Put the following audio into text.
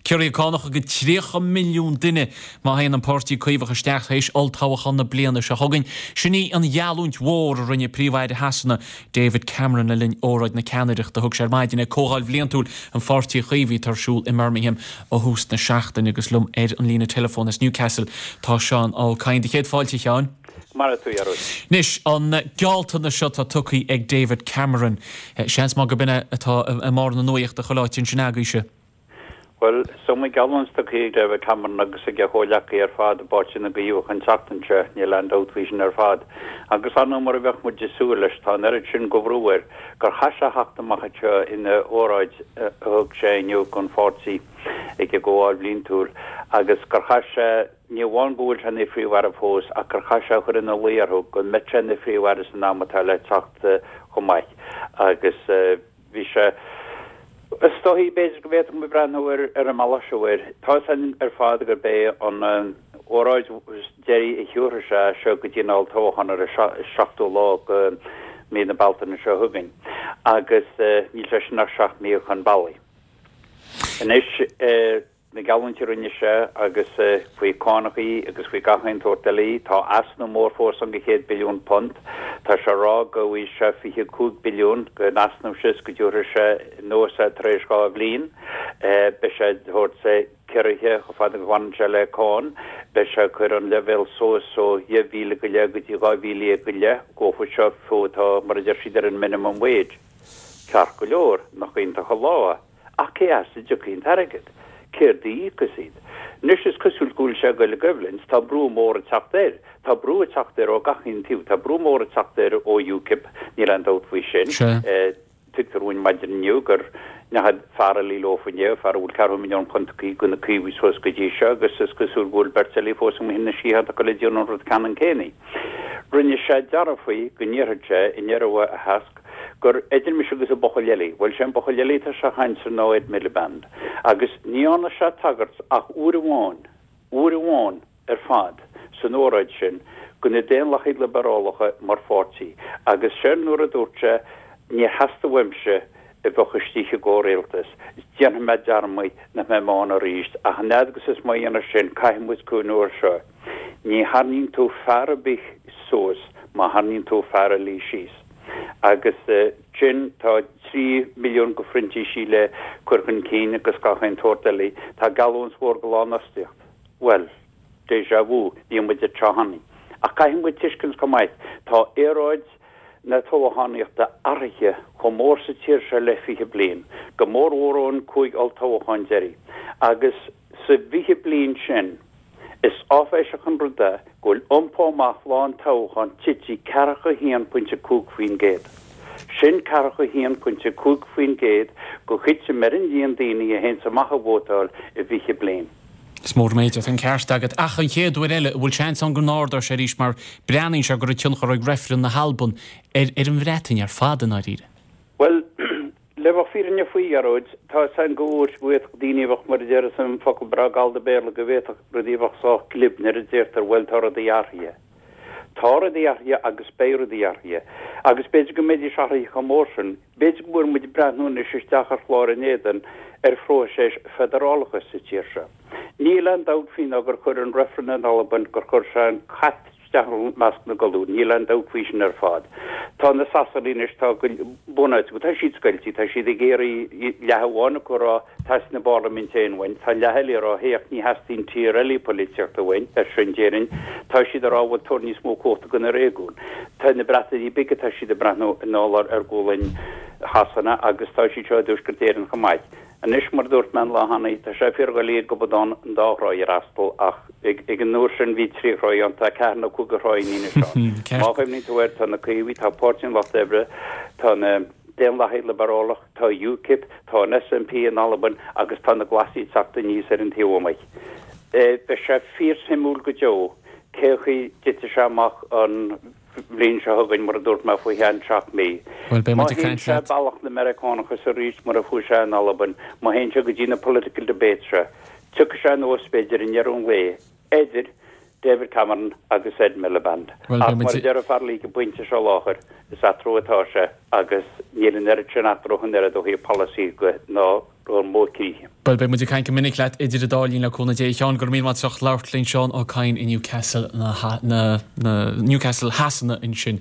Ciorruithe cánacha go 30 milliún duine má théann an Páirtí Caomhach isteach tar éis olltoghchán na bliana seo chugainn. Sin í an gheallúint mhór a rinne Príomh-Aire Shasana, David Cameron le linn óráid na ceannaireachta a thug sé ar maidin ag Comhdháil Bhliantúil an Pháirtí Chaomhaigh atá ar siúl i mBirmingham ó thús na seachtaine. Agus liom ar an líne teileafóin as Newcastle tá Seán Ó Cadhain. Do chéad fáilte, a Sheáin. Maire tú, a Ghearóid. Anois, an gealltanas seo atá tugtha ag David Cameron, seans maith gurb in é atá i mbarr na nuachta chuile áit ansin agaibhse. Bhuel, is iomaí geallúint tugtha ag David Cameron agus ag a chomhghleacaithe ar fad i bPáirtí na gCaomhach an tseachtain seo, níl aon dabht faoi sin ar fad. Agus ar ndóigh, mar a bheadh muid ag súil leis, tá an oiread sin de bhrú air gur chaith sé a theacht amach anseo ina óráid a thug sé inniu don pháirtí ag an gComhdháil Bhliantúil agus gur chaith sé, ní amháin go bhfuil sé ina Phríomh-Aire fós ach gur chaith sé a chur ina luí orthu go mbeidh sé ina Phríomh-Aire san am atá le teacht chomh maith agus. Bhí sé. Is dóichí, b'fhéidir go bhféadfadh muid breathnú ar ar an mbealach seo air. Tá 'fhios againn ar fad gurb é an óráid deiridh a thiúrfaidh sé seo go dtí an olltoghchán ar an seachtú lá de mhí na Bealtaine seo chugainn agus níl sé sin ach 7 mí chun bealaigh. Anois. Na geallúintí a rinne sé agus faoi cánachaí agus faoi gach aon tsórt eile, tá easnamh mór fós ann de chéad billiún punt. Tá sé ag rá go bhfaighidh sé 25 billiún den easnamh seo is go dtiúrfaidh sé anuas é tar éis 2 bhliain. Beidh sé ag tabhairt ciorruithe chomh fada agus a bhaineann sé le cáin. Beidh sé ag cur an leibhéal suas ó 10,000 go leith go dtí 12,000 go leith, dófa seo fiú atá mar a deir siad ar an minimum wage. Ceart go leor, nach iontach an lá é. Ach cé as a dtiocfaidh an t-airgead? Céard a íocfas iad? Anois is cosúil go bhfuil sé ag dul i gcoimhlint, tá brú mór ag teacht air. Tá brú ag teacht air ó gach aon taobh. Tá brú mór ag teacht air ó UKIP, níl aon dabht faoi sin. Tuigtear dúinn maidin inniu gur ndeachaigh fear eile leofa inné, fear a bhfuil ceathrú milliún punt acu do na Caomhaigh suas go dtí seo agus is cosúil go bhfuil beirt eile fós amuigh ina sciathán acu le déanamh an rud ceannann céanna. Rinne sé dearbh faoi go ndéarfadh sé i ndeireadh a theasc gur idir mise agus an buachaill eile, bhuel, sé an buachaill eile atá sé a chaint air ná Ed Miliband, agus ní dhearna sé tagairt ach uair amháin, uair amháin ar fad san óráid sin do na Daonlathaigh Liobarálacha mar pháirtí, agus sin nuair a dúirt sé, níor theastaigh uaimse a bheadh istigh i gcomhrialtas, déanfaidh mé dearmad nach mbeidh mé ann arís, ach an fhad agus is má dhéanamh sin, caithfidh muid cuimhniú air seo. Ní tharraingíonn tú fear ar bith suas má tharraingíonn tú fear eile síos. Agus sin, tá 3 milliún de phrintísigh le cur chun cinn agus gach aon tsórt eile. Tá geallúint mhór de lánfhostaíocht. Bhuel, déjà vu, bhí muid anseo cheana. Ach caithfidh muid tuiscint chomh maith, tá aeráid na toghchánaíochta athraithe chomh mór sa tír seo le 20 bliain, go mórmhór ón 5 olltoghchán deiridh. Agus sa bhfiche bliain sin, Is áiféiseach an rud é go bhfuil iompó amach lá an toghcháin tite 41.5%. Sin 41.5% de thitim ar an líon daoine a théanns amach ag vótáil i bhfiche bliain. Is mór an méid é, tá an ceart agat. Ach an chéad uair eile, an bhfuil seans ann go n-ardóidh sé arís mar breathnaíonn sé go raibh tionchar ag reifreann na hAlban ar an Bhreatain ar fad i ndáiríre. Bhuel, Le bheith fírinneach faoi, a Ghearóid, tá 'fhios a'inn go bhféadfadh daoine a bheadh, mar a déarfas an focal breá gallda Béarla, go bhféadfadh rudaí a bheadh sách glib nuair a deirtear bhuel tá rudaí athraithe. Tá rudaí athraithe agus beidh rudaí athraithe. Agus b'fhéidir go mbeidís athraithe chomh mór sin, b'fhéidir go bhfuil muid ag breathnú anois isteach ar chlár in éadan ar phróiseas feidearálachais sa tír seo. Níl aon dabht faoi ná gur chuir an reifreann in Albain, gur chuir sé an cat isteach i measc na gcolún. Níl aon dabht faoi sin ar fad. Tá na Sasanaigh anois, tá bunáite acu, tá siad scoilte, tá siad ag iarraidh leath amháin acu a rá teastaíonn an bparlaimint féin uainn, tá an leath eile ag rá féach ní theastaíonn tír eile polaitíochta uainn, ar sin déarfainn, tá siad ag rá bhuel tabhair níos mó cumhachta do na réigiúin. Tá na Breatainí Bige, tá siad ag breathnú anall ar ghualainn Shasana agus tá siad seo i dTuaisceart Éireann chomh maith. Anois, mar a dúirt mé an lá cheana, tá sé fíordhoiligh ag gobadán an dá thráigh a fhreastal ach ag an uair sin bhí trí thráigh ann, tá ceathair nó cúig de thráigheanna anois ann. Má chuimhníonn tú air, tá na Caomhaigh, tá Páirtí an Lucht Oibre, tá na Daonlathaigh Liobarálach, tá UKIP, tá an SNP in Albain agus tá na Glasaigh ag teacht aníos ar an taobh amuigh. Beidh sé fíorshuimiúil go deo cé chaoi dtitfidh sé amach an bhliain seo chugainn, mar a dúirt mé, faoi cheann 7 mí. Bhuel, beidh Má muid ag théann caint sé leat. bealach na Meiriceánach is arís mar a chuaigh sé in Albain, má théann sé go dtí na political debates seo, tiocfaidh sé anuas, b'fhéidir, i ndeireadh an lae, idir David Cameron agus Ed Miliband. Bhuel, Ach beidh muid mar a ag. deir an fear ag an bpointe seo láthair, is eatarthu atá sé agus níl an oiread sin eatarthu an oiread ó thaobh polasaí de ná. Brón mór croí. Bhuel, beidh muid ag caint go minic leat idir an dá linn le cúnamh Dé. A Sheáin, go raibh míle maith agat as labhairt linn. Seán Ó Cadhain i Newcastle na, na, Newcastle Shasana ansin.